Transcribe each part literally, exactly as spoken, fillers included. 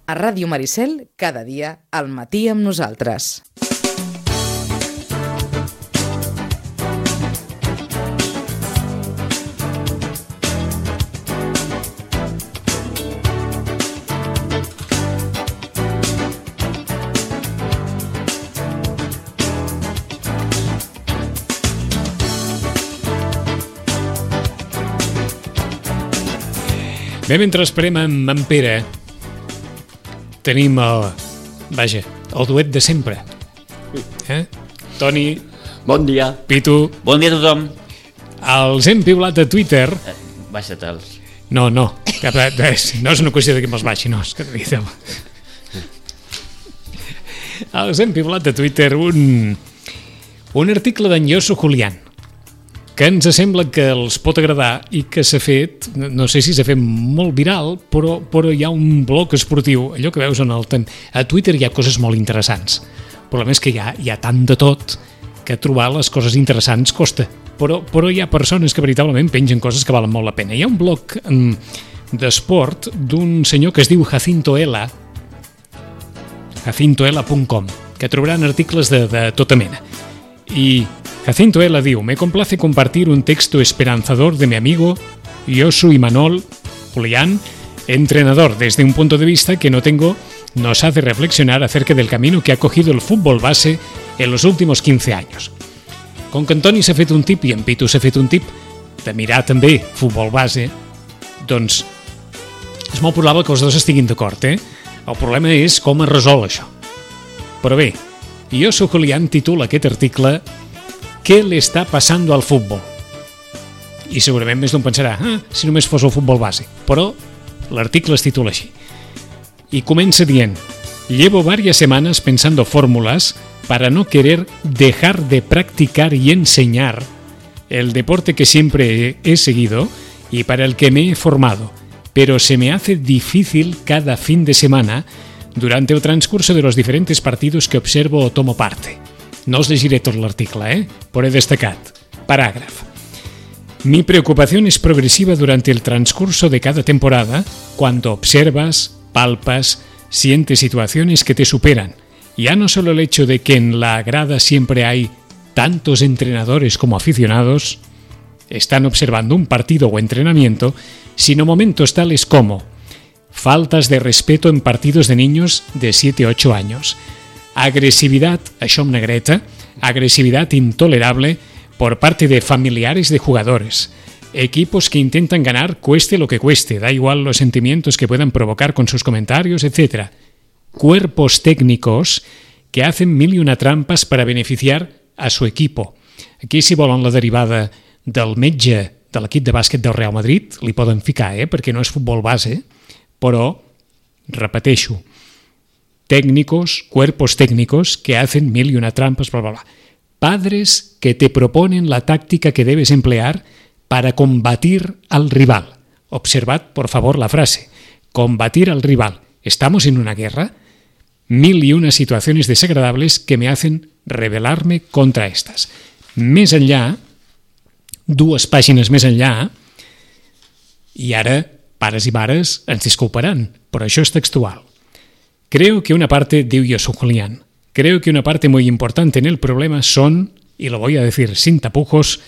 A Ràdio Maricel, cada dia, al matí amb nosaltres. Bé, mentre esperem en, en Pere, tenim el, vaja, el duet de sempre. Eh? Toni. Bon dia. Pitu. Bon dia a tothom. Els hem piulat a Twitter. Eh, Baixa-te'ls. No, no, cap, no és una qüestió de que me'ls baixi, no, és que els hem piulat a Twitter un, un article d'en Yosu Julián, que ens sembla que els pot agradar i que s'ha fet, no sé si s'ha fet molt viral, però, però hi ha un bloc esportiu, allò que veus en el temps. A Twitter hi ha coses molt interessants. El problema és que hi ha, hi ha tant de tot que trobar les coses interessants costa. Però, però hi ha persones que veritablement pengen coses que valen molt la pena. Hi ha un bloc d'esport d'un senyor que es diu Jacinto Ela, jacinto ela punt com, que trobaran articles de, de tota mena. I Jacinto Ela diu: me complace compartir un texto esperanzador de mi amigo Yosu Imanol Julián, entrenador. Desde un punto de vista que no tengo, nos hace reflexionar acerca del camino que ha cogido el fútbol base en los últimos quince años. Com que en Toni s'ha fet un tip i en Pitu s'ha fet un tip de mirar també futbol base, doncs és molt probable que els dos estiguin d'acord, eh? El problema és com es resol això. Però bé, Yosu Julián titula aquest article «Què le està passando al futbol?» I segurament més d'un pensarà ah, si només fos el futbol base, però l'article es titula així. Y comença dient: llevo varias semanas pensando fórmulas para no querer dejar de practicar y enseñar el deporte que siempre he seguido y para el que me he formado, pero se me hace difícil cada fin de semana durante el transcurso de los diferentes partidos que observo o tomo parte. No os llegiré todo el artículo, ¿eh? Però he destacat. Parágrafo. Mi preocupación es progresiva durante el transcurso de cada temporada, cuando observas, palpas, sientes situaciones que te superan. Ya no solo el hecho de que en la grada siempre hay tantos entrenadores como aficionados, están observando un partido o entrenamiento, sino momentos tales como faltas de respeto en partidos de niños de siete a ocho años, agresividad, això amb negreta, agresividad intolerable por parte de familiares de jugadores, equipos que intentan ganar cueste lo que cueste, da igual los sentimientos que puedan provocar con sus comentarios, etcétera. Cuerpos técnicos que hacen mil y una trampas para beneficiar a su equipo. Aquí, si volen la derivada del metge de l'equip de bàsquet del Real Madrid, li poden ficar, eh? Perquè no és futbol base, però, repeteixo, técnicos, cuerpos técnicos que hacen mil y una trampas, bla, bla, bla. Padres que te proponen la táctica que debes emplear para combatir al rival. Observad, por favor, la frase. Combatir al rival. ¿Estamos en una guerra? Mil y una situaciones desagradables que me hacen rebelarme contra estas. Més enllà, dues pàgines més enllà, i ara, pares i mares, ens disculparan, però això és textual. Creo que una parte, diu Yosu Julián, creo que una parte muy importante en el problema son, y lo voy a decir sin tapujos,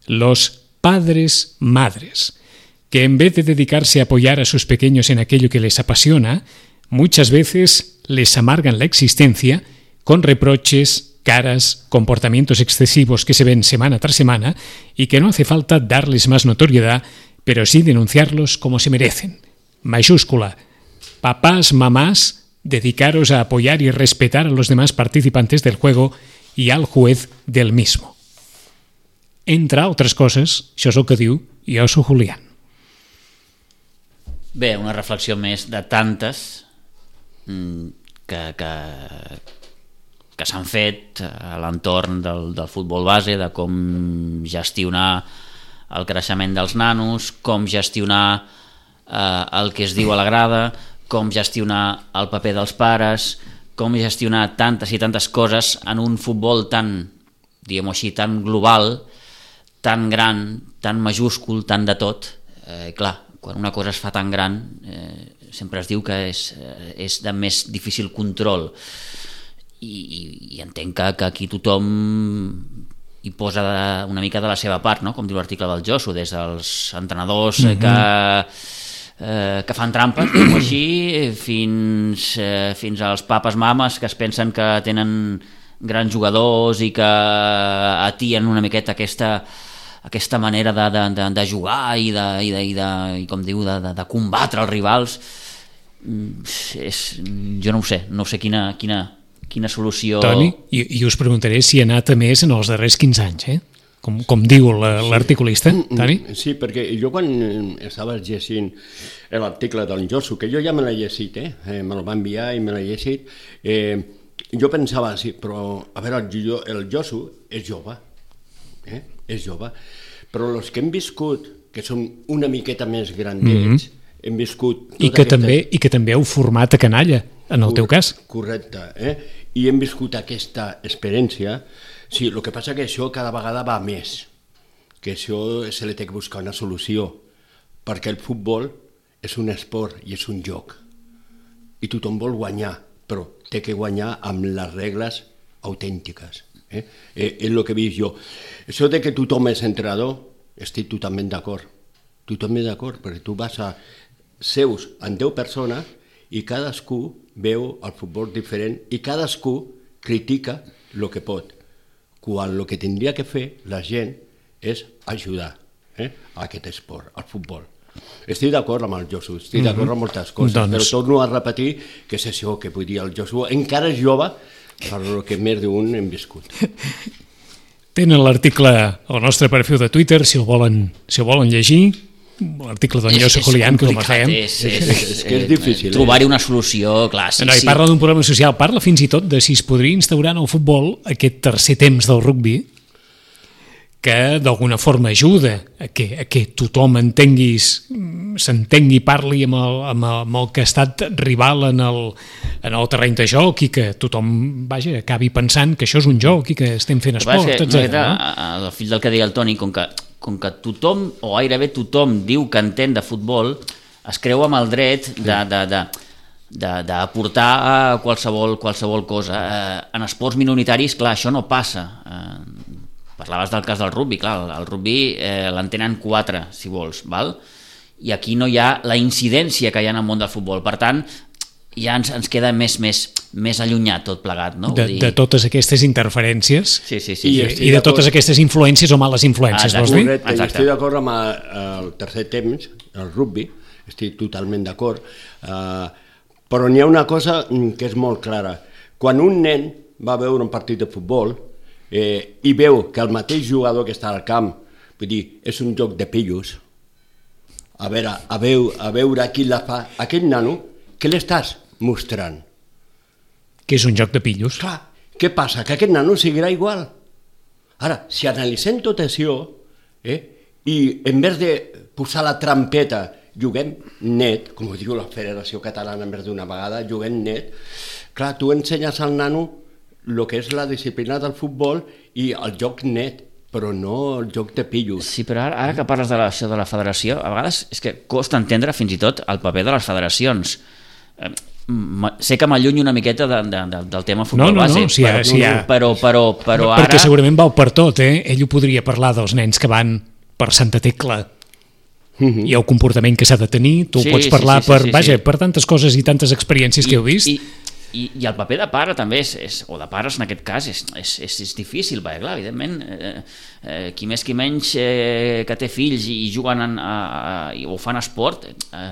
los padres madres, que en vez de dedicarse a apoyar a sus pequeños en aquello que les apasiona, muchas veces les amargan la existencia con reproches, caras, comportamientos excesivos que se ven semana tras semana y que no hace falta darles más notoriedad, pero sí denunciarlos como se merecen. Mayúscula. Papás, mamás, dedicaros a apoyar y respetar a los demás participantes del juego y al juez del mismo. Entre altres coses, això és el que diu Yosu Julián. Bé, una reflexió més de tantes que, que, que s'han fet a l'entorn del, del futbol base, de com gestionar el creixement dels nanos, com gestionar eh, el que es diu a la grada, com gestionar el paper dels pares, com gestionar tantes i tantes coses en un futbol tan, diguem-ho així, tan global, tan gran, tan majúscul, tan de tot. Eh, clar, quan una cosa es fa tan gran, eh, sempre es diu que és, és de més difícil control, i, i, i entenc que, que aquí tothom hi posa una mica de la seva part, no? Com diu l'article del Josu, des dels entrenadors mm-hmm. que Eh, que fan trampes, diguem-ho així, fins, eh, fins als papes mames que es pensen que tenen grans jugadors i que atien una miqueta aquesta, aquesta manera de, de, de, de jugar i, de, i, de, i, de, i com diu, de, de, de combatre els rivals. És, jo no ho sé, no sé quina, quina, quina solució... Toni, i, i us preguntaré si ha anat a més en els darrers quinze anys, eh? Com, com diu l'articulista, Toni? Sí, perquè jo quan estava llegint l'article del Josu, que jo ja me l'he llegit, eh? eh me el va enviar i me l'he llegit, eh, jo pensava, sí, però a veure, el, el Josu és jove, eh? és jove, però els que hem viscut, que són una miqueta més grandets, mm-hmm. hem viscut... I que, aquesta... també, I que també heu format a canalla, en el Cor- teu cas. Correcte, eh? I hem viscut aquesta experiència. Sí, el que passa que això cada vegada va més, que això se li té que buscar una solució, perquè el futbol és un esport i és un joc, i tothom vol guanyar, però té que guanyar amb les regles autèntiques. Eh? Eh, és el que he vist jo. Això de que tothom és entrenador, estic totalment d'acord, totalment d'acord, perquè tu vas a seus amb deu persones i cadascú veu el futbol diferent i cadascú critica el que pot, quan el que tindria que fer la gent és ajudar eh, a aquest esport, al futbol. Estic d'acord amb el Josu, estic d'acord amb moltes coses, doncs... però torno a repetir que és això que vull dir, el Josu encara és jove per el que més d'un hem viscut. Tenen l'article al nostre perfil de Twitter, si el volen, si el volen llegir, l'article d'en Josu Julián, que el fèiem. És, és, és, és que és difícil. Trobar-hi una solució, clar, sí, no, sí. I parla d'un problema social, parla fins i tot de si es podria instaurar en el futbol aquest tercer temps del rugbi, que d'alguna forma ajuda a que, a que tothom entenguis, s'entengui i parli amb el, amb, el, amb el que ha estat rival en el, en el terreny de joc, i que tothom, vaja, acabi pensant que això és un joc i que estem fent esport, etcètera. No? El fill del que deia el Toni, com que, com que tothom, o gairebé tothom, diu que entén de futbol, es creu amb el dret de... de, de d'aportar qualsevol, qualsevol cosa. Eh, en esports minoritaris, clar, això no passa. Eh, parlaves del cas del rugby, clar, el, el rugby eh, l'entenen quatre, si vols, val? I aquí no hi ha la incidència que hi ha en el món del futbol, per tant, ja ens, ens queda més, més, més allunyat tot plegat, no? De, de totes aquestes interferències sí, sí, sí, i, sí. i de totes aquestes influències o males influències, ah, vols dir? Correcte, i estic d'acord amb el tercer temps, el rugby, estic totalment d'acord, eh, però n'hi ha una cosa que és molt clara. Quan un nen va veure un partit de futbol eh, i veu que el mateix jugador que està al camp, vull dir, és un joc de pillos, a veure, a veure, a veure qui la fa, aquest nano, què l'estàs mostrant? Que és un joc de pillos. Clar, què passa? Que aquest nano seguirà igual. Ara, si analitzem tot això, eh, i en vez de posar la trampeta juguem net, com ho diu la Federació Catalana més d'una vegada, juguem net, clar, tu ensenyes al nano el que és la disciplina del futbol i el joc net, però no el joc de pillos. Sí, però ara, ara que parles de la, de la federació, a vegades és que costa entendre fins i tot el paper de les federacions. Eh, sé que m'allunyo una miqueta de, de, de, del tema futbol no, no, base, no, si ha, però, si ha... però, però, però ara... Perquè segurament val per tot, eh? Ell ho podria parlar dels nens que van per Santa Tecla, uh-huh. i el comportament que s'ha de tenir, tu sí, ho pots parlar sí, sí, per, sí, sí, vaja, sí. per tantes coses i tantes experiències I, que heu vist. I, i, i el paper de pare també, és, és, o de pares en aquest cas, és, és, és, és difícil, perquè clar, evidentment, eh, eh, qui més qui menys eh, que té fills i, i juguen en, a, a, o fan esport, eh,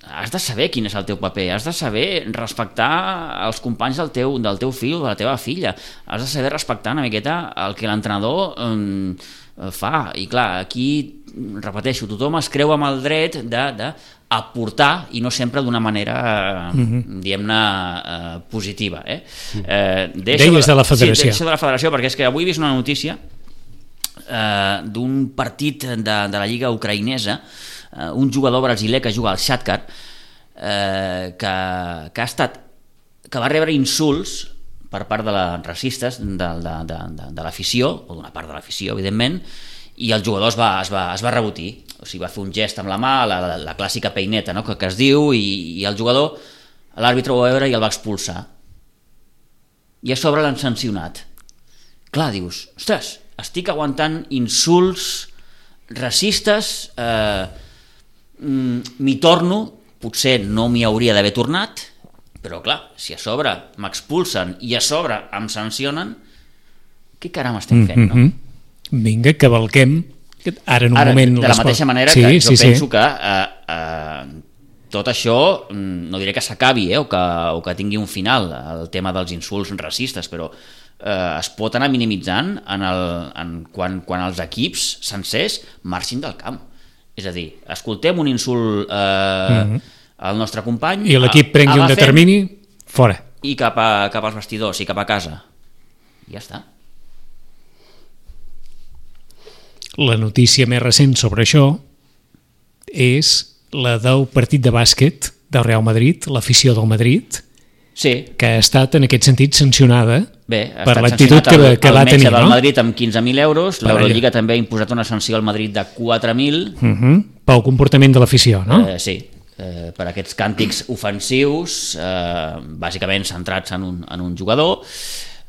has de saber quin és el teu paper, has de saber respectar els companys del teu, del teu fill o de la teva filla, has de saber respectar una miqueta el que l'entrenador eh, fa, i clar, aquí repeteixo, tothom es creu amb el dret de, de aportar i no sempre d'una manera mm-hmm. diguem-ne eh, positiva, eh? Eh, Deies de la federació. Sí, deixo de la federació, perquè és que avui he vist una notícia eh, d'un partit de, de la lliga ucraïnesa, eh, un jugador brasiler que juga al Shakhtar, eh, que, que ha estat que va rebre insults per part de les racistes de, de, de, de, de l'afició, o d'una part de l'afició, evidentment, i el jugador es va, es va, es va rebotir, o sigui, va fer un gest amb la mà, la, la, la clàssica peineta, no?, que, que es diu, i, i el jugador, l'àrbitre ho va veure i el va expulsar. I a sobre l'han sancionat. Clar, dius, ostres, estic aguantant insults racistes, eh, m'hi torno, potser no m'hi hauria d'haver tornat, però clar, si a sobre m'expulsen i a sobre em sancionen, què caram estem fent, no? Mm-hmm. Vinga, cavalquem ara en un ara, moment... de la mateixa manera sí, que jo sí, penso sí. que eh, eh, tot això, no diré que s'acabi eh, o, que, o que tingui un final, el tema dels insults racistes, però eh, es pot anar minimitzant en el, en, quan, quan els equips sencers marxin del camp. És a dir, escoltem un insult eh, mm-hmm. al nostre company... I l'equip prengui un determini, fora. I cap, a, cap als vestidors i cap a casa. I ja està. La notícia més recent sobre això és la del partit de bàsquet del Real Madrid, l'afició del Madrid, sí. que ha estat en aquest sentit sancionada Bé, per l'actitud que, el, que va el tenir. El metge del no? Madrid amb quinze mil euros, l'Eurolliga també ha imposat una sanció al Madrid de quatre mil. Uh-huh. Pel comportament de l'afició, no? Eh, sí, eh, per aquests càntics ofensius, eh, bàsicament centrats en un, en un jugador.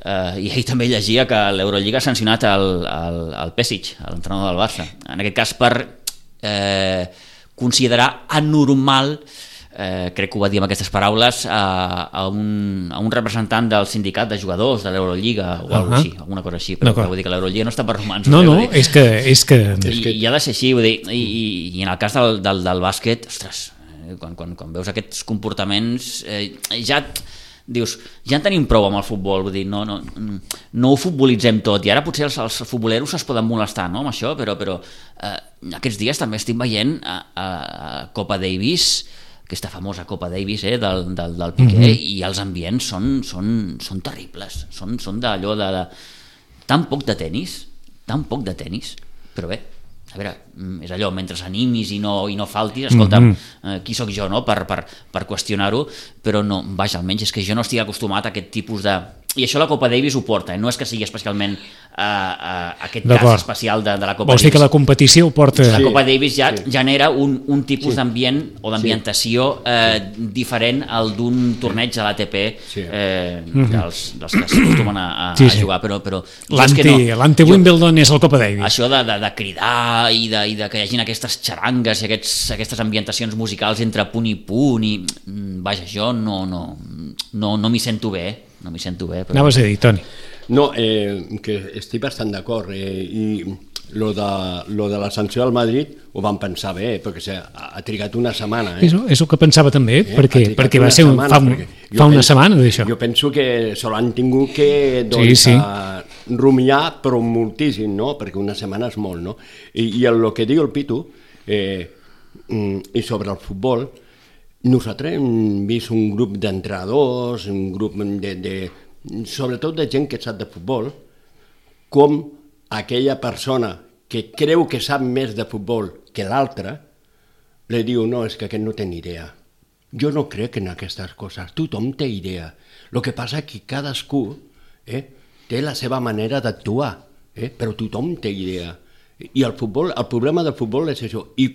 Uh, i ahir també llegia que l'Eurolliga ha sancionat el, el, el Pesic, l'entrenador del Barça, en aquest cas per eh, considerar anormal, eh, crec que ho va dir amb aquestes paraules, a, a, un, a un representant del sindicat de jugadors de l'Eurolliga o uh-huh. alguna així, alguna cosa així, però vull dir que l'Eurolliga no està per romansos. No, no, és que... És que... I, i ha de ser així, vull dir, i, i, i en el cas del, del, del bàsquet, ostres, quan, quan, quan veus aquests comportaments, eh, ja... dius, ja en tenim prou amb el futbol, vull dir, no, no, no ho futbolitzem tot, i ara potser els, els futboleros es poden molestar, no?, amb això, però, però eh, aquests dies també estic veient a, a, a Copa Davis, aquesta famosa Copa Davis eh, del, del, del Piqué, mm-hmm. i els ambients són, són, són terribles, són, són d'allò de, de tan poc de tenis, tan poc de tenis, però bé, a veure, és allò, mentre animis i no, i no faltis, escolta, mm-hmm. eh, qui sóc jo no? per, per, per qüestionar-ho, però no, vaja, almenys és que jo no estic acostumat a aquest tipus de... I això la Copa Davis ho porta, eh? No és que sigui especialment uh, uh, aquest cas especial de, de la Copa Vols Davis. dir que la competició ho porta... La Copa Davis ja sí. genera un, un tipus sí. d'ambient o d'ambientació sí. eh, diferent al d'un torneig de l'A T P sí. eh, mm-hmm. dels, dels que s'acostumen a, a, sí, sí. a jugar, però, però l'anti-Wimbledon no. és el Copa Davis. Això de, de, de cridar i de, i de que hi hagin aquestes xarangues i aquests, aquestes ambientacions musicals entre punt i punt i vaja, jo no, no, no, no m'hi sento bé, no m'hi sento bé. Però... Anaves a dir, Toni. No, eh, que estic bastant d'acord eh, i lo de, lo de la sanció al Madrid ho van pensar bé, perquè se, ha, ha trigat una setmana. Eh? És, és el que pensava també, eh? perquè, perquè va ser un, setmana, fa, un, fa una penso, setmana d'això. Jo penso que se l'han tingut que doncs, sí, sí. rumiar, però moltíssim, no? Perquè una setmana és molt, no? I, i el que diu el Pitu, eh, i sobre el futbol, nosaltres hem vist un grup d'entrenadors, un grup de, de, sobretot de gent que sap de futbol, com aquella persona que creu que sap més de futbol que l'altra, li diu, no, és que aquest no té ni idea. Jo no crec en aquestes coses, tothom té idea. El que passa és que cadascú eh, té la seva manera d'actuar, eh, però tothom té idea. I el futbol, el problema del futbol és això. I,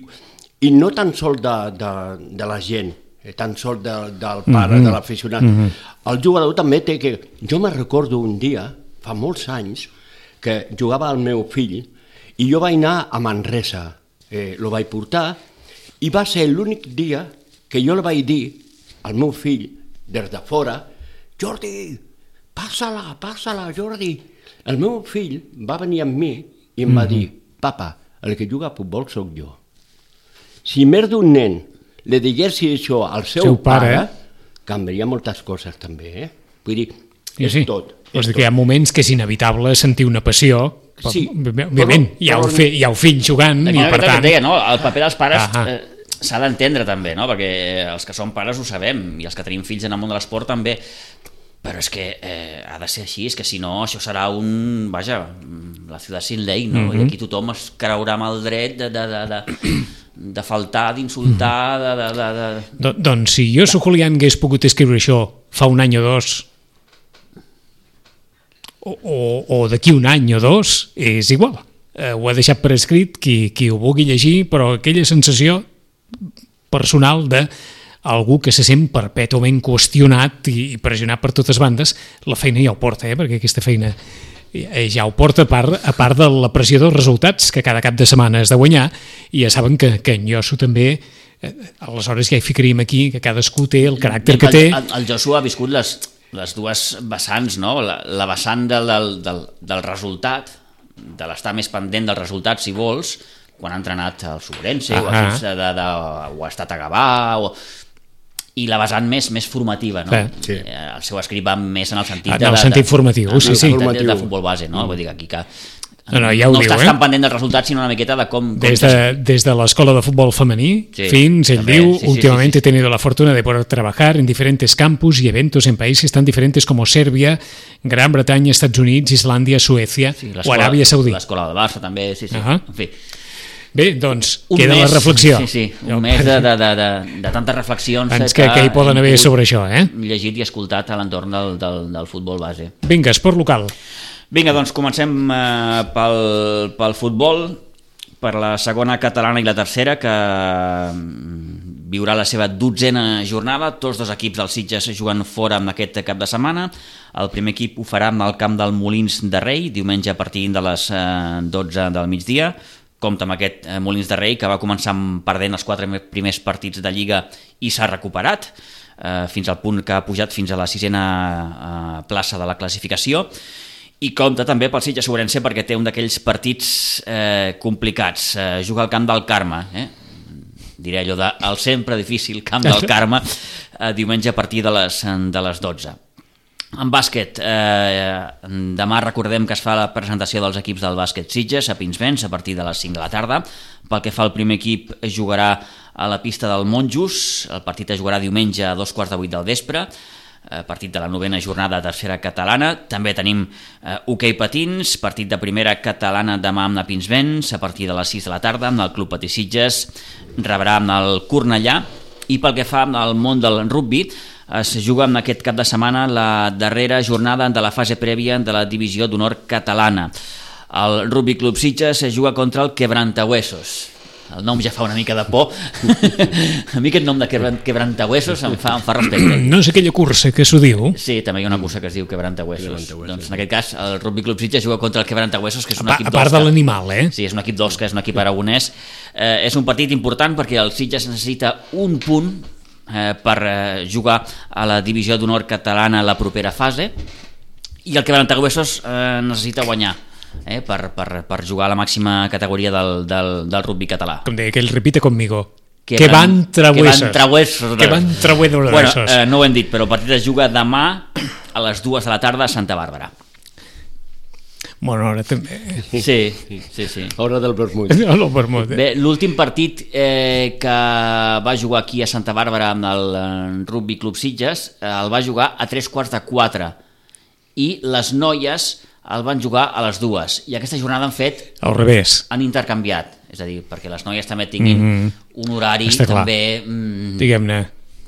i no tan sol de, de, de la gent, eh, tan sol de, del pare, mm-hmm. de l'aficionat. Mm-hmm. El jugador també té que... Jo me recordo un dia, fa molts anys, que jugava el meu fill i jo vaig anar a Manresa, eh, lo vaig portar i va ser l'únic dia que jo li vaig dir al meu fill des de fora, Jordi, passa-la, passa-la, Jordi. El meu fill va venir amb mi i em mm-hmm. va dir, papa, el que juga a futbol sóc jo. Si més d'un nen li diguessi això al seu, seu pare, pare, canviaria moltes coses també, eh? Vull dir, sí, és sí. tot. És que hi ha moments que és inevitable sentir una passió, sí, òbviament, hi ha, el fi, hi ha el fill jugant i per tant... Deia, no? El paper dels pares eh, s'ha d'entendre també, no? Perquè els que som pares ho sabem i els que tenim fills en el món de l'esport també, però és que eh, ha de ser així, és que si no això serà un, vaja, la ciutat sin ley, no? Mm-hmm. I aquí tothom es creurà amb el dret de, de, de, de, de faltar, d'insultar, de, de, de, de... Do, doncs si jo, Julián, hagués pogut escriure això fa un any o dos, o, o, o d'aquí un any o dos, és igual. eh, ho ha deixat per escrit qui, qui ho vulgui llegir, però aquella sensació personal de algú que se sent perpètuament qüestionat i pressionat per totes bandes, la feina ja ho porta, eh? Perquè aquesta feina ja ho porta a part, a part de la pressió dels resultats que cada cap de setmana has de guanyar, i ja saben que, que en Josu també, eh, aleshores ja hi ficaríem aquí, que cadascú té el caràcter que té. El, el Josu ha viscut les, les dues vessants, no? La, la vessant del, del, del resultat, de l'estar més pendent del resultat, si vols, quan ha entrenat al Sobrense, o, ha, de, de, o ha estat a Gavà, o... i la vessant més més formativa, no? Sí. El seu escrit va més en el sentit en el sentit formatiu, de, sí, sí. De, de, de futbol base, no? Vull dir que aquí que no, no, ja ho no diu, estàs eh? tan pendent del resultat, sinó una miqueta de com... com des, de, des de l'escola de futbol femení sí, fins, ell també, diu, sí, sí, últimamente sí, sí. he tenido la fortuna de poder trabajar en diferentes campus y eventos en países tan diferentes como Serbia, Gran Bretaña, Estats Units, Islàndia, Suècia sí, o Aràbia Saudí. L'escola del Barça també, sí, sí. Uh -huh. En fi. Bé, doncs, Un queda mes, la reflexió. Sí, sí, un mes de, de, de, de, de tantes reflexions Ens que, que hi poden haver sobre això, eh? llegit i escoltat a l'entorn del, del, del futbol base. Vinga, esport local. Vinga, doncs comencem eh, pel, pel futbol, per la segona catalana i la tercera, que viurà la seva dotzena jornada. Tots dos equips dels Sitges juguen fora amb aquest cap de setmana. El primer equip ho farà amb el camp del Molins de Rei, diumenge a partir de les eh, dotze del migdia. Compte amb aquest eh, Molins de Rei, que va començar perdent els quatre primers partits de Lliga i s'ha recuperat, eh, fins al punt que ha pujat fins a la sisena eh, plaça de la classificació. I compte també pel Sitges Ourense, perquè té un d'aquells partits eh, complicats. Eh, juga al camp del Carme, eh? diré allò de el sempre difícil camp del Carme, eh, diumenge a partir de les, de les dotze. En bàsquet, eh, demà recordem que es fa la presentació dels equips del bàsquet Sitges a Pinsbens a partir de les cinc de la tarda. Pel que fa al primer equip, jugarà a la pista del Monjos. El partit es jugarà diumenge a dos quarts de vuit del vespre, eh, partit de la novena jornada de tercera catalana. També tenim eh, hoquei patins, partit de primera catalana demà amb la Pinsbens a partir de les sis de la tarda, amb el Club Patí Sitges rebrà amb el Cornellà. I pel que fa al món del rugbi, es juga en aquest cap de setmana la darrera jornada de la fase prèvia de la divisió d'honor catalana. El Rugby Club Sitges es juga contra el Quebrantahuesos. El nom ja fa una mica de por. A mi aquest nom de Quebrantahuesos em fa, em fa respecte. No és aquella cursa que s'ho diu? Sí, també hi ha una cursa que es diu Quebrantahuesos. Doncs en aquest cas el Rugby Club Sitges juga contra el Quebrantahuesos, que és un a, equip a part d'Osca. de l'animal, eh? Sí, és un equip d'Osca, és un equip aragonès. Eh, és un partit important perquè el Sitges necessita un punt eh, per eh, jugar a la divisió d'honor catalana la propera fase, i el Quebrantahuesos eh, necessita guanyar eh, per, per, per jugar a la màxima categoria del, del, del rugby català. Com deia, que ell repite conmigo. Que, que van, van trahuesos. Que van trahuesos. Que van trahuesos. Bueno, eh, no ho hem dit, però el partit es juga demà a les dues de la tarda a Santa Bàrbara. Bueno, ara també... Sí, sí, sí. Hora del vermut. No, el vermut, eh? Bé, l'últim partit eh, que va jugar aquí a Santa Bàrbara amb el eh, Rugby Club Sitges eh, el va jugar a tres quarts de quatre i les noies el van jugar a les dues, i aquesta jornada han fet al revés, han intercanviat, és a dir, perquè les noies també tinguin mm-hmm. un horari també mm, diguem-ne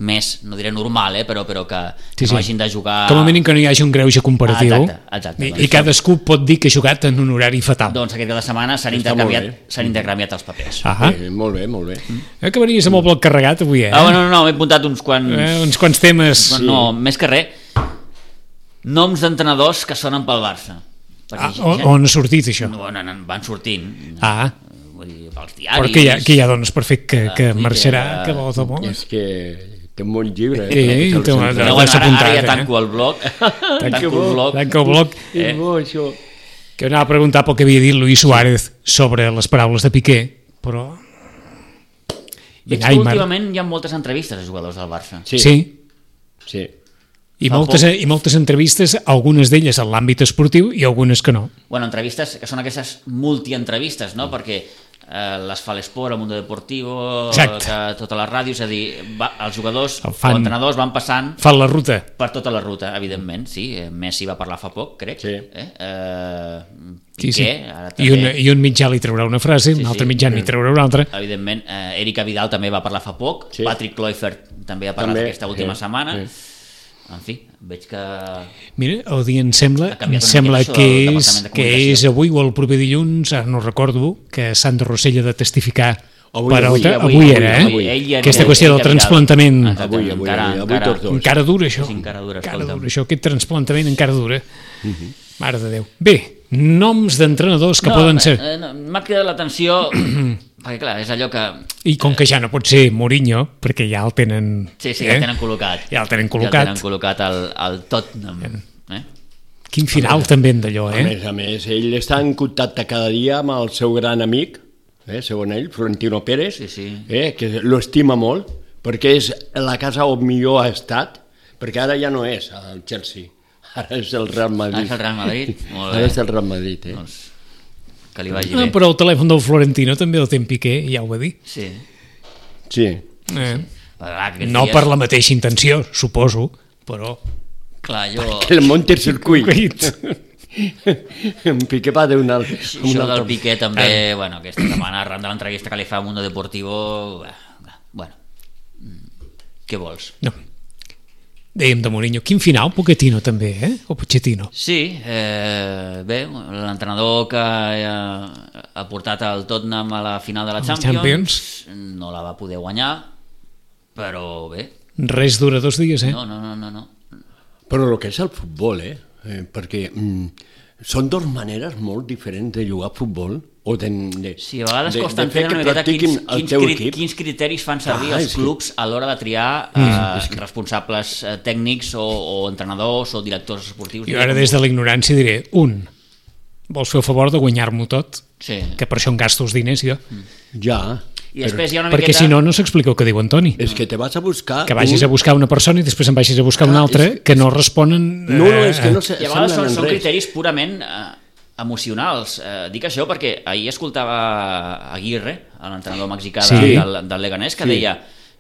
més, no diré normal, eh, però, però que, sí, que no sí. hagin de jugar... Com a mínim que no hi hagi un greuge comparatiu. Ah, exacte, exacte. I, doncs, i cadascú pot dir que ha jugat en un horari fatal. Doncs aquest cap de setmana s'han intercanviat, s'han intercanviat els papers. Ah, eh, molt bé, molt bé. Eh, que venies amb el bloc carregat avui, eh? Ah, bueno, no, no, m'he apuntat uns quants... Eh, uns quants temes. Sí. No, més que res, noms d'entrenadors que sonen pel Barça. Ah, on, on ha sortit això? No, no, no, van sortint. Ah, vull dir, pels diaris... però que ja, que ja dones per fet que, que Ah, marxarà, que- que vol de bo. És que té un bon llibre. Sí, Eh? té un- No, L'has bueno, ara, apuntat, ara ja eh? tanco el blog. tanco el blog. Tanca el bloc. Eh. És bo, això. Que anava a preguntar pel que havia dit Luis Suárez sobre les paraules de Piqué, però... Veig que Neymar. últimament hi ha moltes entrevistes a jugadors del Barça. Sí. Sí. Sí. I Fa moltes, poc. I moltes entrevistes, algunes d'elles en l'àmbit esportiu i algunes que no. Bueno, entrevistes que són aquestes multientrevistes, no? Perquè eh, les fa l'Esport, el Mundo Deportivo, Exacte. que, totes les ràdios, és a dir, va, els jugadors El o fan. entrenadors van passant Fan la ruta. per tota la ruta, evidentment, sí. Eh, Messi va parlar fa poc, crec. Sí. Eh? Eh, Sí, Piqué, sí. ara I, un, també, I un mitjà li traurà una frase, Sí, un altre sí. mitjà n'hi traurà una altra. evidentment, eh, Erika Vidal també va parlar fa poc, Sí. Patrick Kluivert també ha parlat També, aquesta última sí, setmana. sí. en fi, veig que... Mira, o dir, em sembla, Ha canviat em una sembla mica això que del és, Departament de que Comunicació. és avui o el proper dilluns, ara no recordo, que Sandro Rossell ha de testificar Avui, per avui, alta. avui, Avui avui, era, eh? avui. Ell ja- Aquesta ell- qüestió ell del que ha mirat. transplantament. Exacte. Avui, avui, Encara- avui, avui encara- tots dos. Encara dura, això. Sí, encara dura, Encara escolta'm. dura, això, aquest transplantament encara dura. Mare de Déu. Bé, noms d'entrenadors que no, poden ser... eh, no, m'ha cridat l'atenció, perquè clar, és allò que... I com que ja no pot ser Mourinho, perquè ja el tenen... Sí, sí, ja el tenen col·locat. Ja el tenen Ja el col·locat. tenen col·locat al, al Tottenham. Eh? Quin final també en d'allò, A eh? més a més, ell està en contacte cada dia amb el seu gran amic, eh, segons ell, Florentino Pérez, Sí, sí. Eh, que lo estima molt, perquè és la casa on millor ha estat, perquè ara ja no és el Chelsea, ara és el Real Madrid. Ah, és el Real Madrid? Molt bé. Ara és el Real Madrid, eh? Doncs que li vagi Ah, bé. però el telèfon del Florentino també el té en Piqué, ja ho va dir. Sí. Sí. Eh? Clar, aquests No dies- per la mateixa intenció, suposo, però... Clar, jo... El Monte Circuit. Circuit. En Piqué va donar un Això del altre... Piqué també, bueno, aquesta setmana, arran de l'entrevista que li fa a Mundo Deportivo, bueno, què vols? No. Dèiem de Mourinho. Quin final, Pochettino també, eh? O Pochettino. Sí, eh, bé, l'entrenador que eh, ha portat el Tottenham a la final de la La Champions, Champions. no la va poder guanyar, però bé, Res dura dos dies, eh? no, no, no, no, no. Però el que és el futbol, eh? eh perquè mm, són dues maneres molt diferents de jugar a futbol o de, de, Sí, a vegades de, costa de fer entendre que una miqueta practiquin quins, el quins, teu cri, equip. quins criteris fan servir Ah, els és que- clubs a l'hora de triar eh, responsables eh, tècnics o, o entrenadors o directors esportius. Jo ara des de la ignorància diré, un, vols fer el favor de guanyar-m'ho tot, Sí. que per això em gasto els diners jo, Ja, I després hi ha una perquè miqueta... si no, no s'explica el que diu Antoni. és que te vas a buscar... Que vagis un... a buscar una persona i després em vagis a buscar una Clar, altra és- que no responen... No, no, és que no eh, se- I a vegades són, semblen en són res. criteris purament eh, emocionals. Eh, dic això perquè ahir escoltava Aguirre, l'entrenador mexicà Sí. de, del, del Leganés, que Sí. deia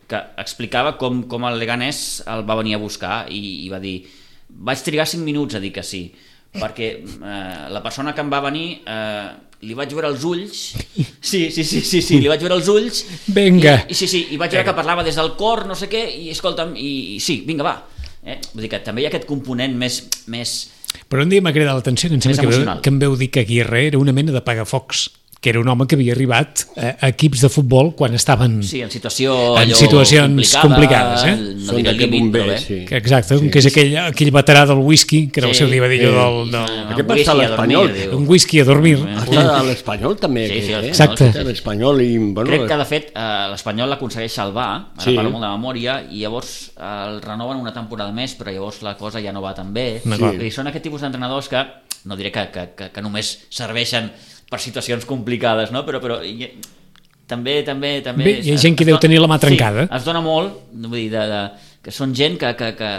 que explicava com, com el Leganés el va venir a buscar i, i va dir vaig trigar cinc minuts a dir que sí perquè eh, la persona que em va venir eh, li vaig veure els ulls sí, sí, sí, sí, sí li vaig veure els ulls Vinga. i, i, sí, sí, i vaig veure que parlava des del cor no sé què, i escolta'm, i, i sí, vinga, va eh? Vull dir que també hi ha aquest component més, més Però un dia m'ha cridat l'atenció que em sembla Més que, veu, emocional. que em veu dir que Aguirre era una mena de pagafocs, que era un home que havia arribat a, a equips de futbol quan estaven... sí, en situació En allò situacions complicada, complicades, eh? no Són diré d'aquest límit, bomber, però bé. sí. Que exacte, sí, que és aquell, aquell veterà del whisky, que era el Sí. seu divadillo Eh, del, del, Un Aquest whisky passa a a l'Espanyol. dormir, diu. un whisky a dormir. Està a l'Espanyol també, Sí, sí, aquest, eh? Exacte. A l'Espanyol i... Bueno, Crec que, de fet, eh, l'Espanyol l'aconsegueix salvar, ara Sí. parlo molt de memòria, i llavors eh, el renoven una temporada més, però llavors la cosa ja no va tan bé. D'acord. I són aquest tipus d'entrenadors que, no diré que, que, que, que només serveixen per situacions complicades, no? però, però i, també, també, també... Bé, hi ha gent que deu tenir la mà trencada. Sí, es dona molt, vull dir, de, de, que són gent que, que, que,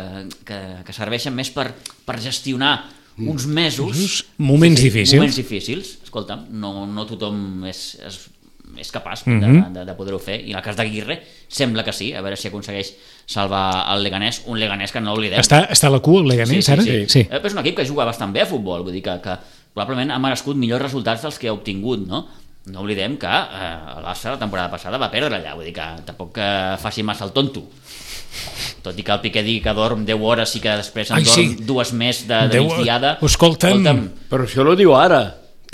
que, que serveixen més per, per gestionar uns mesos... Moments difícils. Moments difícils. Escolta'm, no, no tothom és, és, és capaç de, Mhm. de, de poder-ho fer. I en el cas d'Aguirre sembla que sí, a veure si aconsegueix salvar el Leganés, un Leganés que no oblidem. Està, està a la cua el Leganés, ara? Sí. sí. Eh, però és un equip que juga bastant bé a futbol, vull dir que, que probablement ha merescut millors resultats dels que ha obtingut, no? No oblidem que eh, el Barça la temporada passada va perdre allà, vull dir que tampoc que faci massa el tonto. Tot i que el Piqué digui que dorm deu hores i que després en Ai, dorm sí. dues més de, de Deu- migdiada. Escolta'm. Però això ho diu ara.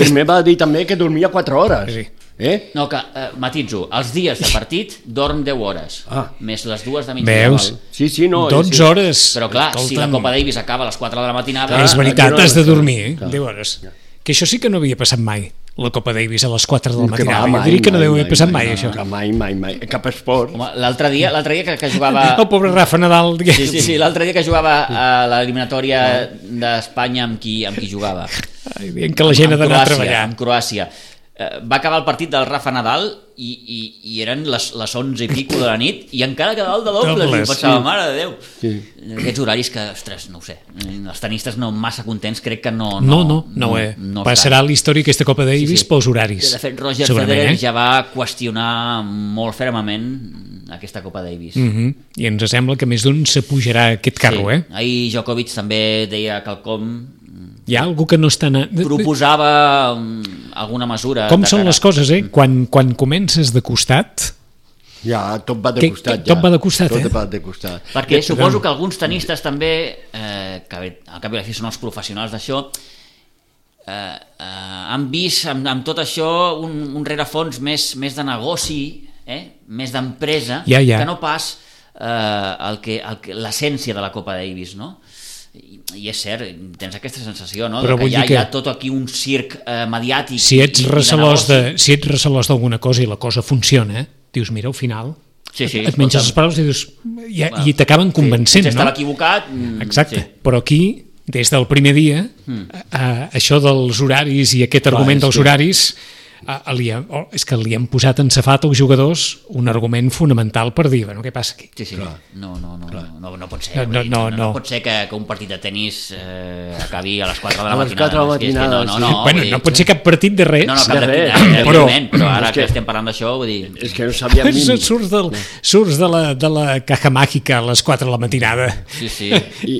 Primer va dir també que dormia quatre hores. Sí. Eh? No, que, eh, matitzo, els dies de partit dorm deu hores, Ah. més les dues de migdiada. Veus? Sí, sí, no. dotze sí. hores. Però clar, si la Escolta'm. Copa Davis acaba a les quatre de la matinada... És Clar, veritat, aquí no- has de dormir, eh? Clar. deu hores. Que això sí que no havia passat mai, la Copa Davis a les quatre del Que matinada. va, Jo mai, diria que no mai, deu haver mai, passat mai, mai, això. Que mai, mai, mai. Cap esport. Home, l'altre dia, l'altre dia que, que jugava... El pobre Rafa Nadal. Sí, sí, sí, l'altre dia que jugava a l'eliminatòria d'Espanya amb qui, amb qui jugava. Ai, dient que la gent ha Amb d'anar a Croàcia, treballar. Amb Croàcia. Eh, va acabar el partit del Rafa Nadal i, i, i eren les, les onze i pico de la nit i encara quedava el de dobles, Dobles, i pensava, sí. mare de Déu. Sí. Aquests horaris que, ostres, no ho sé, els tenistes no massa contents, crec que no... No, no, no, ho és. no Passarà a la història aquesta Copa Davis Sí, sí. pels horaris. De fet, Roger segurament, Federer eh? ja va qüestionar molt fermament aquesta Copa Davis. Mhm. I ens sembla que més d'un s'apujarà a aquest carro, eh? Ahir Djokovic també deia quelcom, Hi ha algú que no està... Na... proposava um, alguna mesura. Com de són cara- les coses, eh? Quan, quan comences de costat, Ja, tot va de Que- costat. que tot ja. va de costat, tot eh? va de costat. Perquè Ja, suposo tothom. que alguns tenistes també, eh, que al cap i a la fi són els professionals d'això, eh, eh, han vist amb, amb tot això un, un rerefons més, més de negoci, eh? Més d'empresa, Ja, ja. que no pas eh, el que, el que, l'essència de la Copa Davis, no? I, i és cert, tens aquesta sensació, no? Però De que vull hi ha, dir que- hi ha tot aquí un circ eh, mediàtic Si ets i, i recelós de de, negoci. si ets recelós d'alguna cosa i la cosa funciona, dius, mira, al final Sí, sí, et menges escolta'm. les paraules i dius, i, Bueno, i t'acaben convencent, Si no? estava equivocat... mm, Exacte, sí. però aquí, des del primer dia, Mm. eh, això dels horaris i aquest argument és dels que- horaris, eh, li ha, oh, és que li han posat en safat als jugadors un argument fonamental per dir, bueno, què passa aquí? Sí, sí, Clar. no, no, no, no, no, no pot ser. No, vull no, dir, no, no, no. pot ser que, que un partit de tennis eh, acabi a les quatre de la A les matinada. quatre de la És que- és que matinada, no, no, sí. no, bueno, vull dir- no pot ser cap partit de res. No, no, cap de de res, res, però- evidentment, però ara és que que- estem parlant d'això, vull dir... És que no sabíem ni... surts, del, surts de, la, de la caja màgica a les quatre de la matinada Sí, sí, I,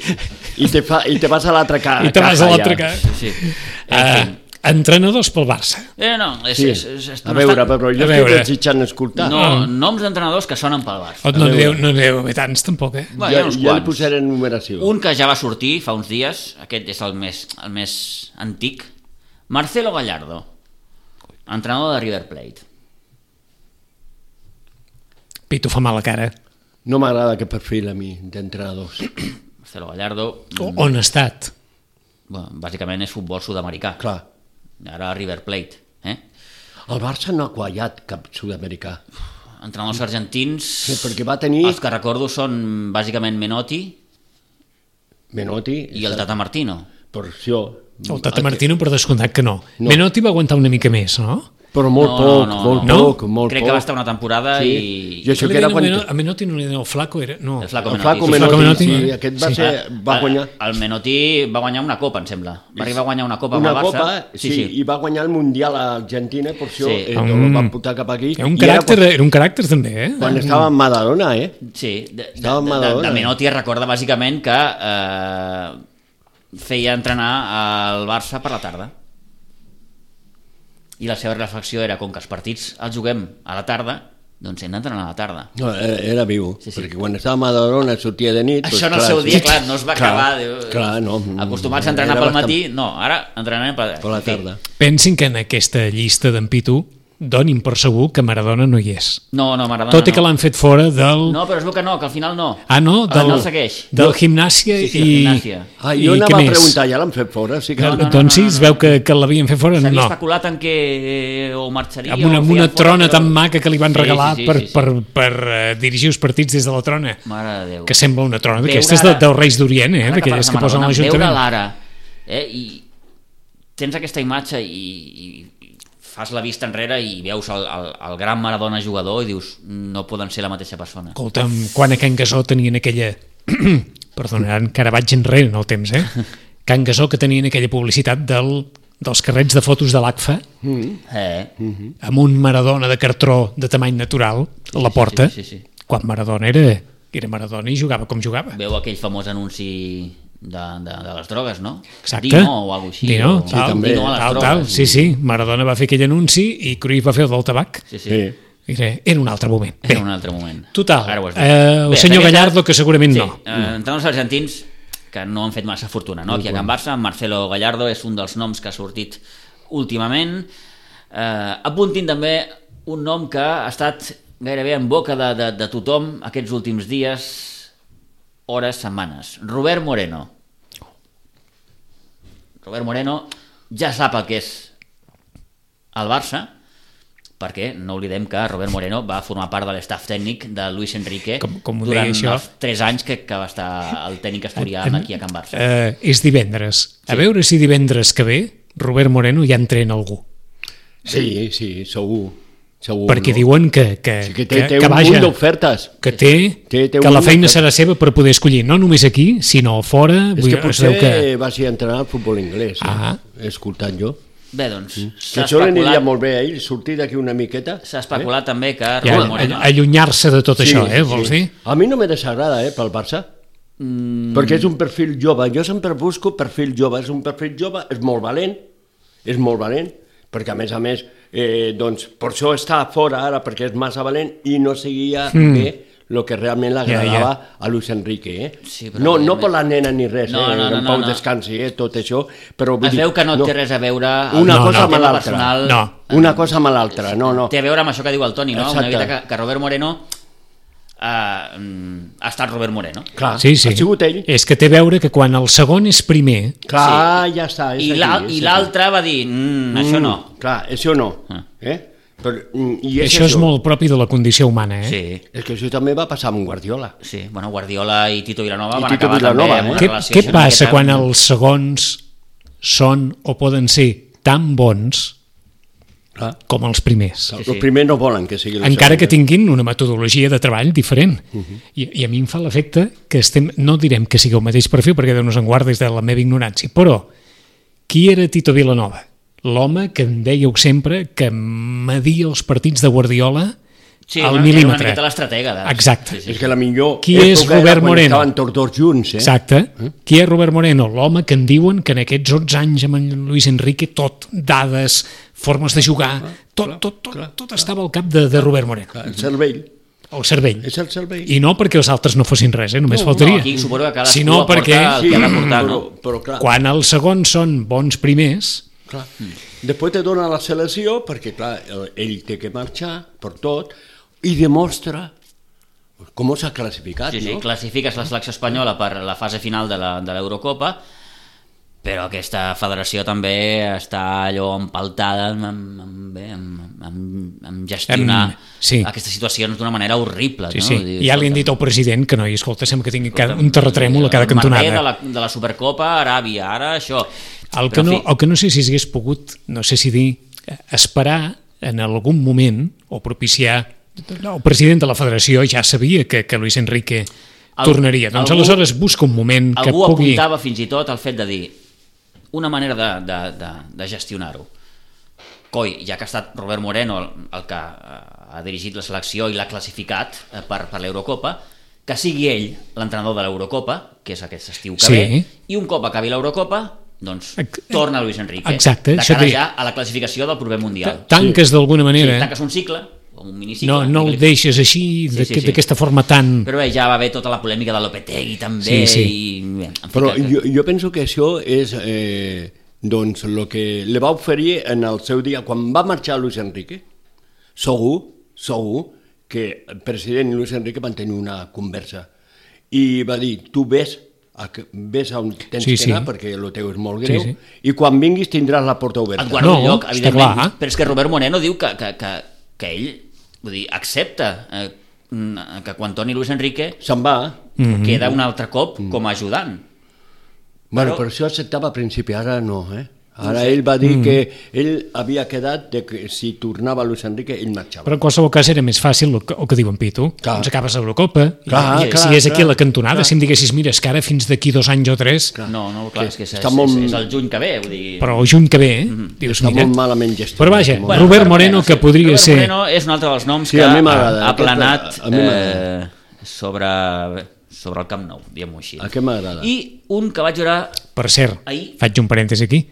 i, te fa, I te vas a l'altra ca... i te vas caja a l'altra ja. caja. sí, sí. Uh, En fi. entrenadors pel Barça. Eh, no, és, Sí. és, és, és, A veure, no, però jo A estic veure. desitjant escoltar. no, noms d'entrenadors que sonen pel Barça. Oh, no, veure. deu, no deu haver tants, tampoc, eh? Bueno, hi ha ja, uns ja li quants. posaré en numeració. Un que ja va sortir fa uns dies, aquest és el més, el més antic, Marcelo Gallardo, entrenador de River Plate. Pitu fa mal a cara. No m'agrada aquest perfil a mi, d'entrenadors. Marcelo Gallardo, O, on ha estat? bueno, bàsicament és futbol sud-americà. Clar, Ara River Plate. Eh? el Barça no ha quallat cap sud-americà. Entrenadors argentins, Sí, perquè va tenir els que recordo són bàsicament Menotti Menotti i el Tata Martino. per això. El Tata Martino, per descomptat que no. No. Menotti va aguantar una mica més, no? Però molt No, poc, no, no, molt no. poc, molt Crec poc. que va estar una temporada Sí. i... Jo això Li que era deien quan... a Meno- A Menotti no li deien el Flaco, era... No. El Flaco El Menotti. Flaco sí, Flaco Menotti, Menotti. sí, aquest va, Sí. ser, va guanyar El, el Menotti va guanyar una copa, em sembla. Va arribar a guanyar una copa una amb el Barça. copa, sí, sí, i va guanyar el Mundial a Argentina, per això Sí. eh, Mm. el van portar cap aquí. Era un I era caràcter, era un caràcter també, eh? Quan, quan estava en Maradona, eh? Sí, de, de, Estava en de, de, Maradona. de Menotti es recorda bàsicament que eh, feia entrenar al Barça per la tarda. I la seva reflexió era, com que els partits els juguem a la tarda, doncs hem d'entrenar a la tarda. No, era, era viu, Sí, sí. perquè quan estava a Maradona sortia de nit... Això en doncs, el seu sí. dia, clar, no es va Clar, acabar. Diu, clar, no. Acostumats a entrenar Era pel bastant- matí, no, ara entrenem per, Per la en fi. tarda. Pensin que en aquesta llista d'en Pitu donin per segur que Maradona no hi és. No, no, Maradona Tot i no. que l'han fet fora del... No, però es veu que no, que al final no. Ah, no? Ah, Del, no el segueix. del gimnàsia Sí, sí, i... del Gimnàsia. Ah, i jo què anava a més? preguntar, ja l'han fet fora? Sí que... No, no, no, doncs sí, no, es no, veu no. que, que l'havien fet fora. S'havia No, especulat en què eh, o marxaria amb una, o amb feia una fora, trona però- tan maca que li van Sí, regalar sí, sí, per, sí, sí. per, per uh, dirigir els partits des de la trona, Mare de Déu. que sembla una trona Veure d'aquestes de, ara- dels Reis d'Orient, eh? Ara d'aquelles que parles de posen a Maradona, l'Ajuntament. Veure l'ara, eh? I tens aquesta imatge i, i fas la vista enrere i veus el, el, el gran Maradona jugador i dius, no poden ser la mateixa persona. Escolta'm, quan a Can Gasó tenien aquella... Perdonaran, que ara vaig enrere en el temps, eh? Can Gasó que tenien aquella publicitat del, dels carrets de fotos de l'A C F A Eh? amb un Maradona de cartró de tamany natural a la sí, porta, sí, sí, sí. quan Maradona era, era Maradona i jugava com jugava. Veu aquell famós anunci de, de, de les drogues, no? Exacte. Dino o alguna cosa així. Dino, o... tal, també. Dino a les tal, drogues. tal. Sí, sí, Maradona va fer aquell anunci i Cruyff va fer el del tabac. Sí, sí. Sí. Era, era un altre moment. Bé, Era un altre moment. total, Ara ho has dit. eh, el Bé, senyor d'aquestes- Gallardo, que segurament sí, no. Eh, entrenadors argentins que no han fet massa fortuna, no? Aquí a Can Barça, Marcelo Gallardo és un dels noms que ha sortit últimament. Eh, apuntin també un nom que ha estat gairebé en boca de, de, de tothom aquests últims dies, hores, setmanes. Robert Moreno. Robert Moreno ja sap el que és el Barça, perquè no oblidem que Robert Moreno va formar part de l'estaf tècnic de Luis Enrique Com- com ho durant deia això? els tres anys que, que va estar el tècnic asturià aquí a Can Barça. Eh, és divendres. A veure si divendres que ve Robert Moreno ja entrena algú. Sí, sí, segur. segur Perquè no? diuen que, que, Sí, que té, té que, que un vaja, munt d'ofertes. que té, Té- té que un la munt feina d'ofertes. serà seva per poder escollir, no només aquí, sinó fora. És Vull que dir, es potser veu que... va ser entrenar al futbol anglès, eh? Ah. He escoltat jo. Bé, doncs, Que s'ha això li aniria especulat, molt bé a ell, sortir d'aquí una miqueta. s'ha especulat també que Ja, Robert Moreno... allunyar-se de tot això, eh, vols dir? A mi no me desagrada, eh, pel Barça. Mm. Perquè és un perfil jove. Jo sempre busco perfil jove. És un perfil jove, és molt valent, és molt valent, perquè a més a més eh, doncs per això està fora ara, perquè és massa valent i no seguia mm. bé el que realment l'agradava yeah, yeah. a Luis Enrique. Eh? Sí, no, no per la nena ni res, no, eh? no, no, en Pau no, no. descansi, eh? tot això. Però, es veu que no, no té res a veure una no, cosa no. amb l'altra. Personal... No. Una cosa amb l'altra, no, no. Té a veure amb això que diu el Toni, no? Exacte. Una mica que, que Robert Moreno uh, ha estat Robert Moreno. Clar, sí, sí. ha sigut ell. És que té a veure que quan el segon és primer... Clar, sí. ja està. I l'altre va dir, mm, això no. Mm, clar, això no. Ah. Eh? Però, i és això, això és molt propi de la condició humana, eh? Sí. És que això també va passar amb Guardiola. Sí, bueno, Guardiola i Tito Vilanova I van Tito acabar Vilanova, també amb eh? una Què, relació... què passa quan els segons són o poden ser tan bons Clar. com els primers? Sí, sí. Els primers no volen que sigui el Encara segon, que tinguin una metodologia de treball diferent. Uh -huh. I, I a mi em fa l'efecte que estem... No direm que sigui el mateix perfil, perquè Déu nos en guarda des de la meva ignorància, però qui era Tito Vilanova? L'home que em dèieu sempre que media els partits de Guardiola sí, al una, mil·límetre. Era una miqueta l'estratega. De... Exacte. Sí, sí. És que la millor Qui és Robert Moreno? Estaven tots dos junts, eh? Exacte. Eh? Qui és Robert Moreno? L'home que en diuen que en aquests onze anys amb en Luis Enrique tot, dades, formes de jugar, tot, tot, tot, tot, tot estava al cap de, de Robert Moreno. Clar, el cervell. El cervell. És el cervell. I no perquè els altres no fossin res, eh? només no, faltaria. No, aquí suposo que cadascú sinó aporta perquè, el que ha d'aportar, però, no? però, clar. Quan els segons són bons primers... Clar. Mm. Després te dona la selecció perquè clar, ell té que marxar per tot i demostra com s'ha classificat. Sí, sí, no? classifiques la selecció espanyola per la fase final de l'Eurocopa, però aquesta federació també està allò empaltada amb, amb, amb, amb, amb, amb gestionar em, sí. aquestes situacions d'una manera horrible. Sí, no? sí. Dir, ja li han dit al president que no, i escolta, sembla que tingui cada, un terratrèmol a cada cantonada. El de la, de la Supercopa, Aràbia, ara això... El que, no, el que no sé si s'hagués pogut, no sé si dir, esperar en algun moment o propiciar... El president de la federació ja sabia que, que Luis Enrique el, tornaria. Doncs algú, aleshores busca un moment que algú pugui... Algú apuntava fins i tot el fet de dir una manera de, de, de, de gestionar-ho. Coi, ja que ha estat Robert Moreno el, el que ha dirigit la selecció i l'ha classificat per, per l'Eurocopa, que sigui ell l'entrenador de l'Eurocopa, que és aquest estiu que sí. ve, i un cop acabi l'Eurocopa doncs torna Luis Enrique. Exacte, de cara ja a la classificació del proper Mundial. Tanques sí. d'alguna manera. Sí, tanques un cicle, un minicicle. No, no el deixes així, sí, sí, d'aquesta sí. forma tan... Però bé, ja va haver tota la polèmica de Lopetegui també. Sí, sí. I, bé, Però que... jo, jo penso que això és eh, doncs el que li va oferir en el seu dia, quan va marxar Luis Enrique, segur, segur que el president Luis Enrique van tenir una conversa i va dir, tu ves ves on tens sí, que anar sí. perquè el teu és molt greu sí, sí. i quan vinguis tindràs la porta oberta. Et guarda no, un lloc, evidentment, clar. Però és que Robert Moreno diu que, que, que, que ell vull dir, accepta eh, que quan torni Luis Enrique se'n va mm-hmm. queda un altre cop mm. com a ajudant. Bueno, però, però això acceptava a principi, ara no, eh? Ara ell va dir mm. que ell havia quedat de que si tornava Luis Enrique ell marxava. Però en qualsevol cas era més fàcil el que, el que diuen Pitu. Clar. Doncs acabes l'Eurocopa clar, i clar, si és aquí clar, a la cantonada, clar. si em diguessis, mira, és que ara fins d'aquí dos anys o tres... Clar. No, no, clar, és que és, és, molt... és, és el juny que ve, vull dir... Però el juny que ve, eh? Mm-hmm. Dius, està mira... molt malament gestionat. Però vaja, bueno, Robert Moreno, que sí. podria Robert ser... Moreno és un altre dels noms sí, que ha, ha planat Aquesta, eh, sobre, sobre el Camp Nou, diguem-ho així. Aquest m'agrada. I un que vaig veure... Per cert, ahir... faig un parèntesi aquí,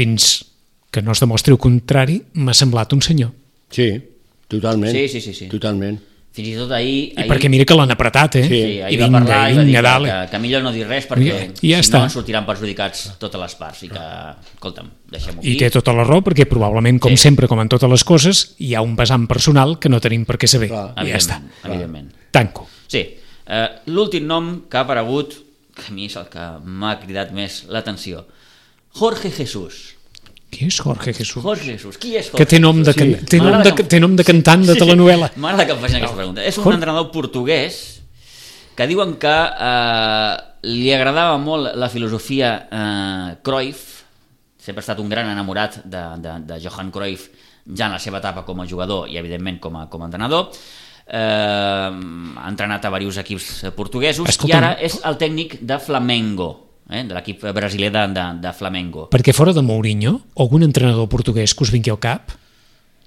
fins que no es demostri el contrari, m'ha semblat un senyor. Sí, totalment. Sí, sí, sí, sí. Totalment. Fins i tot ahir... I ahir... perquè mira que l'han apretat, eh? Sí, I ahir vinga, va parlar i i va dir vinga, que, que, que millor no dir res perquè I, i ja si està. no ens sortiran perjudicats totes les parts i que, escolta'm, deixem-ho aquí. I té tota la raó perquè probablement, com sí. sempre, com en totes les coses, hi ha un vessant personal que no tenim per què saber. Clar, I ja està. Evidentment. Tanco. Sí. Uh, l'últim nom que ha aparegut, que a mi és el que m'ha cridat més l'atenció, Jorge Jesús. Qui és Jorge Jesús? Jorge Jesús. Qui és Jorge que té nom de, Jesús? sí. té nom de, que... té nom de cantant de sí, telenovel·la. Sí. M'agrada que em facin aquesta pregunta. És un Jorge... entrenador portuguès que diuen que eh, li agradava molt la filosofia eh, Cruyff, sempre ha estat un gran enamorat de, de, de Johan Cruyff ja en la seva etapa com a jugador i evidentment com a, com a entrenador. Eh, ha entrenat a diversos equips portuguesos. Escolta, i ara és el tècnic de Flamengo, eh, de l'equip brasiler de, de, de Flamengo. Perquè fora de Mourinho, algun entrenador portuguès que us vingui al cap?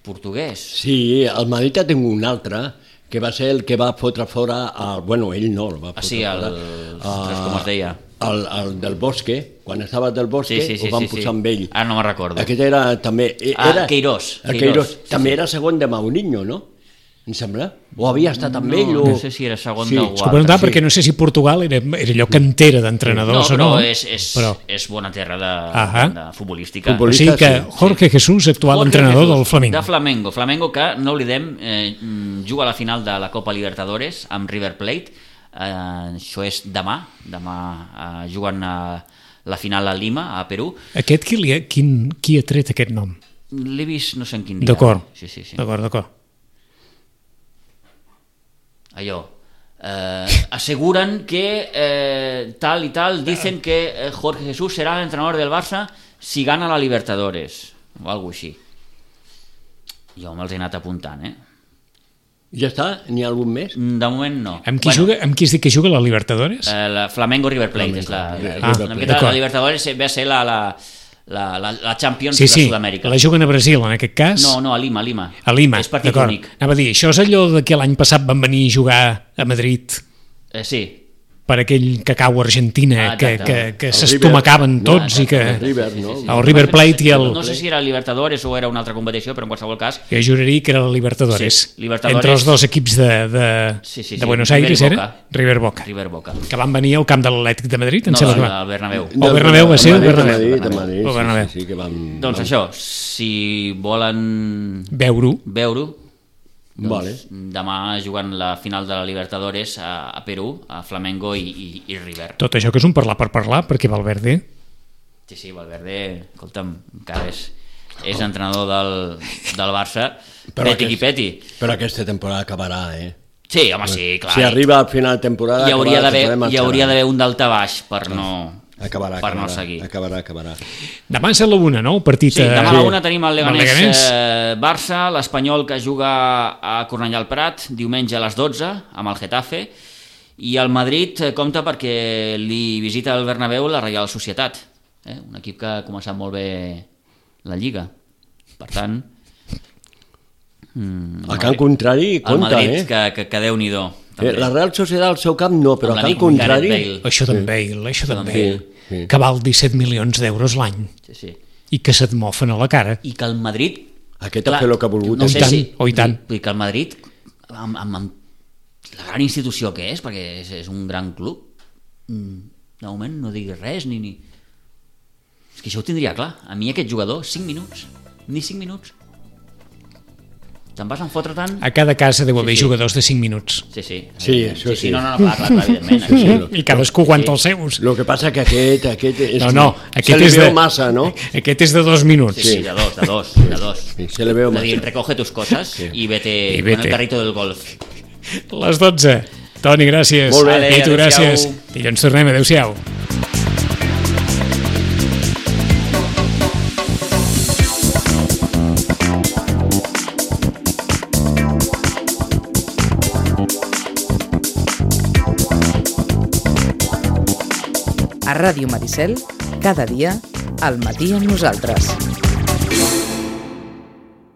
Portuguès? Sí, el Madrid ha tingut un altre, que va ser el que va fotre fora, el, bueno, ell no, el va fotre ah, sí, el, fora. El, uh, com es deia? el, el del Bosque, quan estava del Bosque, Sí, sí, sí, ho van sí, posar sí. amb ell. Ara no me'n recordo. Aquest era també... Ah, Era, Queirós, El Queirós, Queirós. sí, També sí. era segon de Mourinho, no? Em sembla? O havia estat amb No, ell? O... no sé si era segon Sí. d'algú S'ho preguntava sí. perquè no sé si Portugal era, era allò cantera d'entrenadors no, o no. però és, és, però... és bona terra de, Ahà. de futbolística. Futbol- O sigui que sí. Jorge Jesús, actual Jorge entrenador Jesús, del Flamengo. De Flamengo. Flamengo que, no oblidem, eh, juga a la final de la Copa Libertadores amb River Plate. Eh, això és demà. Demà eh, juguen a la final a Lima, a Perú. Aquest qui, li ha, quin, qui ha tret aquest nom? L'he vist no sé en quin dia. D'acord, Sí, sí, sí. d'acord, d'acord. Allò. Eh, aseguran que eh, tal y tal, dicen que eh, Jorge Jesús será el entrenador del Barça si gana la Libertadores o algo així. Jo me'ls he anat apuntant, eh? Ja està? N'hi ha algun més? De moment no. Amb qui, bueno, juga, amb qui es diu que juga la Libertadores? Eh, la Flamengo River Plate és la, Flamengo, la, ah, una miqueta d'acord. la Libertadores ve a ser la, la, la, la, la Champions Sí, de sí, Sud-amèrica. la juguen a Brasil en aquest cas. No, no, a Lima, a Lima. A Lima, És partit d'acord. únic. Anava a dir, això és allò de que l'any passat van venir a jugar a Madrid Eh, sí. per aquell cacau argentina Ah, que, exacte. que, que El s'estomacaven River, tots no? i que... El River, no? El River Plate i el... No sé si era Libertadores o era una altra competició, però en qualsevol cas Jo juraria que era la Libertadores. Sí, Libertadores. Entre els dos equips de, de, Sí, sí, sí. de Buenos River Aires i era Boca. River Boca, River Boca. que van venir al camp de l'Atlètic de Madrid, em No, sembla que del, va. del Bernabéu. El Bernabéu va ser el Madrid, Bernabéu. Madrid, de Madrid, El sí, Bernabéu. sí, sí, que vam... Doncs vam- això, si volen Veure-ho. veure-ho, doncs Vale. demà jugant la final de la Libertadores a, a Perú, a Flamengo i, i, i River. Tot això que és un parlar per parlar, perquè Valverde... Sí, sí, Valverde, escolta'm, encara és, és entrenador del, del Barça, Però peti qui aquest- peti. Però aquesta temporada acabarà, eh? Sí, home, sí, clar. Si arriba al final de temporada... hi hauria acabarà, d'haver tornem a hi hauria xerrar. d'haver un daltabaix per no, Acabarà, per acabarà, no seguir. acabarà, acabarà. Demà és a la una, no? El partit... Sí, demà a eh, la una tenim el amb Leganés eh, Barça, l'Espanyol que juga a Cornellà al Prat, diumenge a les dotze, amb el Getafe, i el Madrid eh, compta perquè li visita el Bernabéu la Reial Societat, eh? Un equip que ha començat molt bé la Lliga. Per tant... Mm, A camp contrari, el compta, Madrid, eh? que, que, que Déu-n'hi-do. Eh, La Real Societat al seu camp no, però Amb a camp l'amic contrari... Gareth Bale. Això d'en Bale, això d'en d'en Bale, Bale, sí. que val disset milions d'euros l'any Sí, sí. i que se't mofen a la cara. I que el Madrid... Aquest ha fet el que ha volgut. No, i tant, oh, i tant. Vull dir que el Madrid, amb, amb, amb la gran institució que és, perquè és, és un gran club, mm, de moment no diguis res, ni, ni... És que això ho tindria clar. A mi aquest jugador, cinc minuts, ni cinc minuts. Te'n vas enfotre tant... A cada casa deu haver Sí, sí. jugadors de cinc minuts. Sí, sí. Sí, això sí, sí. No, no, no, clar, clar, clar evidentment. Sí, Aquí, sí. I cadascú aguanta Sí. els seus. El que passa que aquest... aquest és, No, no, se aquest li és veu de... massa, no? Aquest és de dos minuts. Sí, sí, de dos, de dos, de dos. Sí, se li veu És a dir, massa. recoge tus cosas y vete, I con vete. el carrito del golf. Les dotze. Toni, gràcies. Molt bé. Vale, I tu, adéu-siau. gràcies. Dilluns tornem, adéu-siau. A Ràdio Maricel, cada dia, al matí amb nosaltres.